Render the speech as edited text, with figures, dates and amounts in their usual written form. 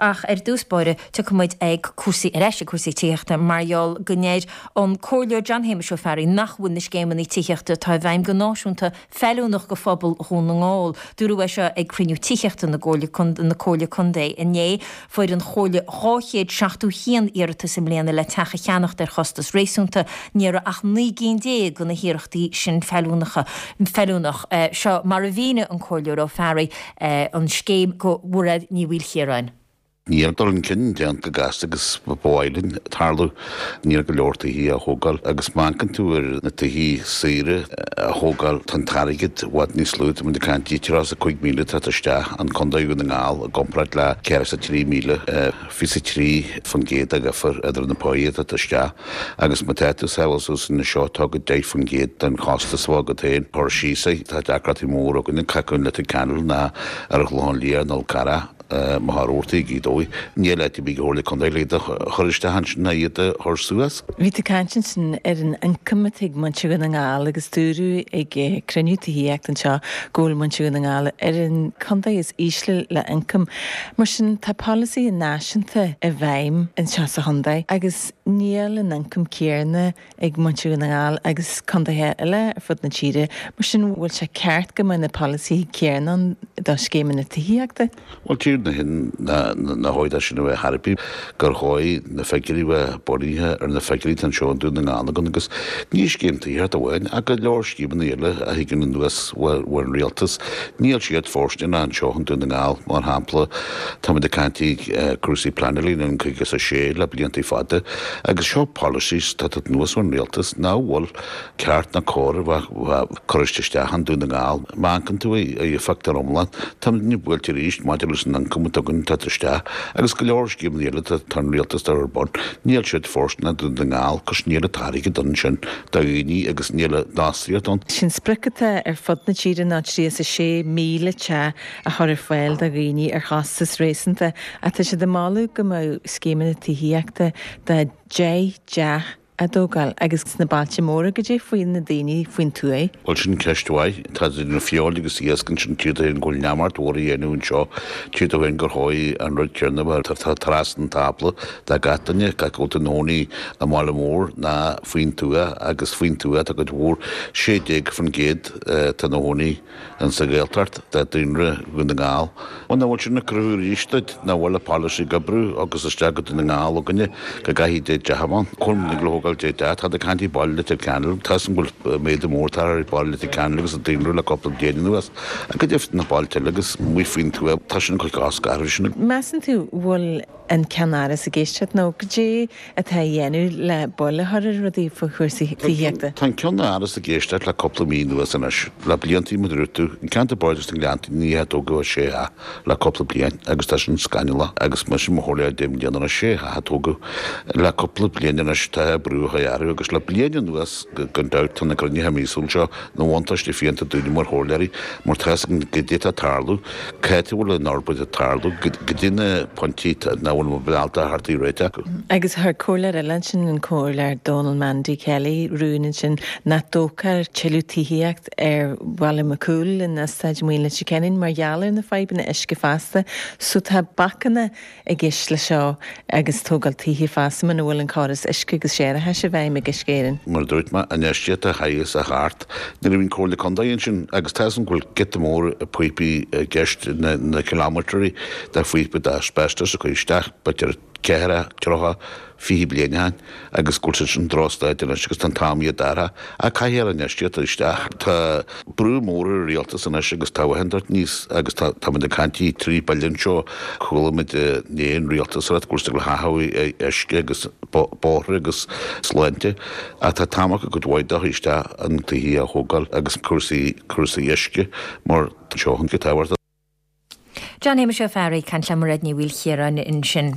Ach ar dtús báire, tiocfaidh muid ag cúrsaí ar ais ag cúrsaí tithíochta mar gheall go ndeir an Comhairleoir John Shéamuis Ó Fearraigh nach bhfuil na scéimeanna tithíochta atá i bhfeidhm go náisiúnta feiliúnach go phobal Dhún na nGall. Dúradh é seo ag cruinniú tithíochta na Comhairle Contae inné. Fuair an Chomhairle 271 iarratas i mbliana le teach a cheannacht ar chostas réasúnta. Ní raibh ach 19 gcinn de na hiarrachtaí sin feiliúnach. Seo mar a mhínigh an Comhairleoir Ó Fearraigh an scéim go Mhairéad Ní Mhaoilchiaráin. Níl dul chun cinn déanta chomh gasta agus ba mhaith linn tarlú. Níl go leor tithe á thógáil agus má amharcann tú ar na tithe saoire a thógáil tá an t-airgead i bhfad níos lú. Tá muid ag caint 35,000 atá isteach an Contae Dhún na nGall i gcomparáid le 103,000, 23% de dhifear idir na páí atá isteach agus má tá tú sábháil suas anseo tógfaidh 10% den chostas a bheadh agat féin cur síos air. Tá deacrachtaí mór againn ag caitheamh Leitir Ceanainn ná ar an Chlochán Liath nó Col Carrach. Má tá rabhartaí ag Gaoth Dobhair, níl áit ar bith ag Comhairle Contae le iad a chur isteach ansin ná iad a chur suas. Bhí tú ag caint ansin ar an ioncam atá ag muintir Dhún na nGall agus dúradh ag cruinniú tithíochta anseo go bhfuil muintir Dhún na nGall ar an contae is ísle le ioncam. Mar sin tá polasaithe náisiúnta i bhfeidhm anseo sa chontae agus níl an ioncam céanna ag muintir Dhún na nGall agus contaetha eile ar fud na tíre. Mar sin, bhfuil sé ceart go mbeadh na polasaithe céanna ann do scéimeanna tithíochta? Bhuel, tír na hin na dhóigh sin a bheith thar bith gur dhóigh na figiúirí bheith bunaithe ar na figiúirí atá anseo i nDún na nGall againn agus ní scéim tithíochta amháin ach go leor scéimeanna eile a thigeann anuas ón rialtas. Níl siad fóirsteanach anseo i nDún na nGall, mar shampla táimid ag caint cúrsaí pleanála in 56 le blianta fada Agus seo policies atá tagtha anuas ón rialtas nach bhfuil ceart ná cóir a bheith curtha isteach i nDún na nGall. Má amharcann tú ar an phictiúr iomlán, táimidne buailte arís maidir leis an ioncam atá againn tagtha isteach agus go leor scéimeanna eile atá an rialtas ar bun. Níl siad fóirsteanach do Dhún na nGall cos níl an t-airgead ansin do dhaoine agus níl an fhostaíocht ann. Sin sprioc atá ar fud na tíre ná 36,000 teach a chur ar fáil do dhaoine ar chostas réasúnta ach tá siad ag moladh go mbeadh scéimeanna tithíochta de 10 dteach á dtógáil agus sna bailte móra goidé faoi na daoine faoin tuaith. Bhuel sin ceist mhaith. Tá idir feoil agus iasc ansin tchítear féin go bhfuil neamart mhór á dhéanamh anseo. Tchítear féin gur chóir an rud céanna a bheith trasna an tábla do gach duine, gach a bhfuil ina chónaí i mbaile mór ná faoin tuath agus faoin tuath tá cuid mhór, 16% atá ina chónaí. Insa Ghaeltacht de daonra Dhún na nGall. Bhuel, nach bhfuil sin ag cruthú arís duit nach bhfuil an polasaí ag oibriú agus isteach go Dún na nGall againne go gcaithfidh 10 dteach a bheith ann. Cuirim le thógáil 10 dteach, táid ag caint i baile Leitir Ceanainn, tá 'fhios a'm go bhfuil méadú mór tagtha ar baile Leitir Ceanainn agus an daonra le cúpla bliain anuas. Ach go deimhin na bailte eile agus amuigh faoin tuath, tá sin ag cur cosc orthu sin. Measann tú bhfuil an ceannáras ag éisteacht nó goidé atá á dhéanamh le buille a chur ar rudaí faoi chúrsaí tithíochta? Tá an ceannáras ag éisteacht le cúpla mí anuas anois. Le bliantaí mar a dúirt tú, an ceantar Bardais na nGleanntaí ní hea tógadh ach sé theach le cúpla bliain agus tá sin scannalach agus mise i mo chomhairleoir 10 mbliana anois sé theach a tógadh le cúpla bliain anois tá brú á chur orthu agus le bliain anuas gan dabht tá na cruinnithe míosúil seo ina bhuntáiste fiúntach dúinne mar chomhairleoirí mar tá 'fhios againn goidé atá ag tarlú, cá háit a bhfuil an fhorbairt ag tarlú, goidé na pointí nach bhfuil muid ábalta a theacht ar réiteach. Agus chuir comhairleoir eile ansin, an Comhairleoir Donal Mandy Kelly, rún ansin nach dtógfar tuilleadh tithíocht ar Bhaile McCool in Eastáit Maoin Leitir Ceanainn mar gheall ar na fadhbanna uisce feasta. So tá bacanna i gceist leis seo agus tógáil tithe feasta muna bhfuil an córas uisce agus séarachais i bhfeidhm ag Uisce Éireann. Mar a dúirt mé, an infheistíocht a chaithfeas a theacht nuair a bhíonn Comhairle Contae ansin agus tá 'fhios a'm go bhfuil giota mór píopaí i gceist, na kilometre de phíopa d'asbestos a cuireadh isteach b'fhéidir ceathracha, 30, 20 bliain ó shin agus go bhfuil siad sin drochstaid anois agus tá an t-am iad a athrú. Ach caithfear infheistíocht isteach. Tá brú mór ar an rialtas anois agus tá a dúirt níos agus tá táimid ag caint 3 bille anseo. Chuala muid inné an rialtas ag rá go bhfuil siad ag haitheadh uisce agus bóithre agus sláinte ach tá t-am acu cuid mhaith dó isteach an tithe a thógáil agus cúrsaí cúrsaí uisce mar seo an go tábhachtach. John Shéamuis Ó Fearraigh ag caint le Mairéad Ní Mhaoilchiaráin ansin.